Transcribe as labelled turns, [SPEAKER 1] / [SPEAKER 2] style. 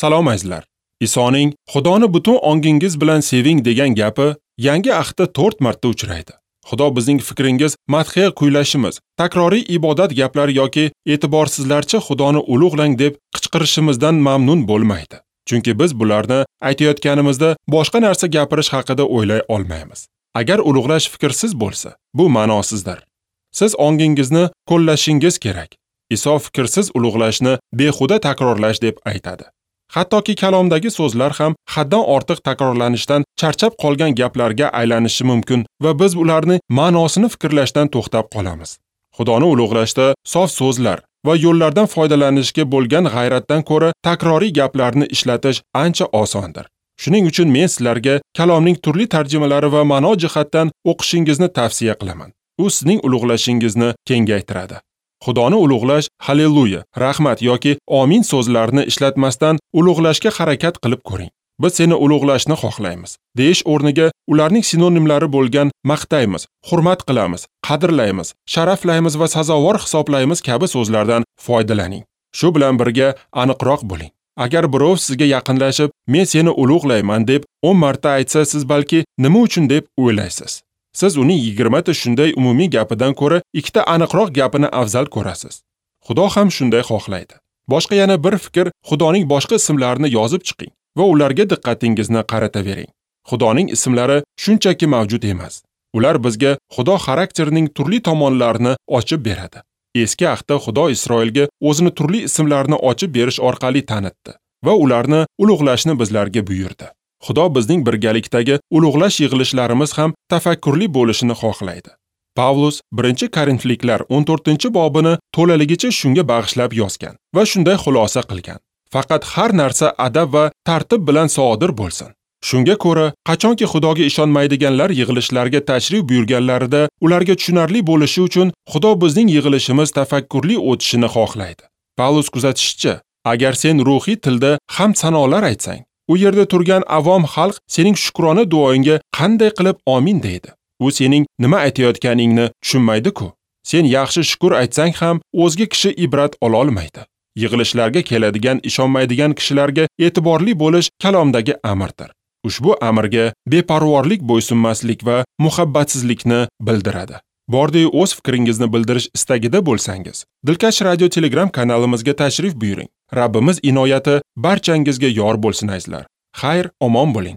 [SPEAKER 1] Salom azizlar. Isoning Xudoni butun ongingiz bilan seving degan gapi Yangi Ahdda 4 marta uchraydi. Xudo bizning fikringiz madhiya kuylashimiz, takroriy ibodat gaplari yoki e'tiborsizlarcha Xudoni ulug'lang deb qichqirishimizdan mamnun bo'lmaydi. Chunki biz bularni aytayotganimizda boshqa narsa gapirish haqida o'ylay olmaymiz. Agar ulug'lash fikrsiz bo'lsa, bu ma'nosizdir. Siz ongingizni qo'llashingiz kerak. Iso fikrsiz ulug'lashni behuda takrorlash deb aytadi. Hattoki kalomdagi so'zlar ham haddan ortiq takrorlanishdan charchab qolgan gaplarga aylanishi mumkin va biz ularni ma'nosini fikrlashdan to'xtab qolamiz. Xudoni ulug'lashda sof so'zlar va yo'llardan foydalanishga bo'lgan g'ayratdan ko'ra takroriy gaplarni ishlatish ancha osondir. Shuning uchun men sizlarga kalomning turli tarjimalari va ma'no jihatdan o'qishingizni tavsiya qilaman. U sizning ulug'lashingizni kengaytiradi. Xudoni ulug'lash halleluya, rahmat yoki amin so'zlarini ishlatmasdan ulug'lashga harakat qilib ko'ring. Biz seni ulug'lashni xohlaymiz deyish o'rniga ularning sinonimlari bo'lgan maqtaymiz, hurmat qilamiz, qadrlaymiz, sharaflaymiz va sazovor hisoblaymiz kabi so'zlardan foydalaning. Shu bilan birga aniqroq bo'ling. Agar birov sizga yaqinlashib, men seni ulug'layman deb 10 marta aytsa, siz balki nima uchun deb o'ylaysiz. Siz uning 20 ta shunday umumiy gapidan ko'ra ikkita aniqroq gapini afzal ko'rasiz. Xudo ham shunday xohlaydi. Boshqa yana bir fikr, Xudoning boshqa ismlarini yozib chiqing va ularga diqqatingizni qaratavering. Xudoning ismlari shunchaki mavjud emas. Ular bizga Xudo xarakterining turli tomonlarini ochib beradi. Eski ahdda Xudo Isroilga o'zini turli ismlarini ochib berish orqali tanitdi va ularni ulug'lashni bizlarga buyurdi. Xudo bizning birgalikdagi ulug'lash yig'ilishlarimiz ham tafakkurli bo'lishini xohlaydi. Pavlus 1-Korinfliklar 14-bobini to'laligicha shunga bag'ishlab yozgan va shunday xulosa qilgan. Faqat har narsa adab va tartib bilan sodir bo'lsin. Shunga ko'ra, qachonki Xudoga ishonmaydiganlar yig'ilishlarga tashrif buyurganlarida ularga tushunarli bo'lishi uchun Xudo bizning yig'ilishimiz tafakkurli o'tishini xohlaydi. Pavlus kuzatishicha, agar sen ruhiy tilda hamd sanolar aytsang, u yerda turgan avom xalq sening shukrona duoingga qanday qilib amin deydi. U sening nima aytayotganingni tushunmaydi-ku. Sen yaxshi shukr aytsang ham o'zga kishi ibrat ola olmaydi. Yig'ilishlarga keladigan ishonmaydigan kishilarga e'tiborli bo'lish kalomdagi amrdir. Ushbu amrga beparvorlik, bo'ysunmaslik va muhabbatsizlikni bildiradi. Bordi-yu o'z fikringizni bildirish istagida bo'lsangiz, Dilkash Radio Telegram kanalimizga tashrif buyuring. Rabbimiz inoyati barchangizga yor bo'lsin azizlar. Xayr, omon bo'ling.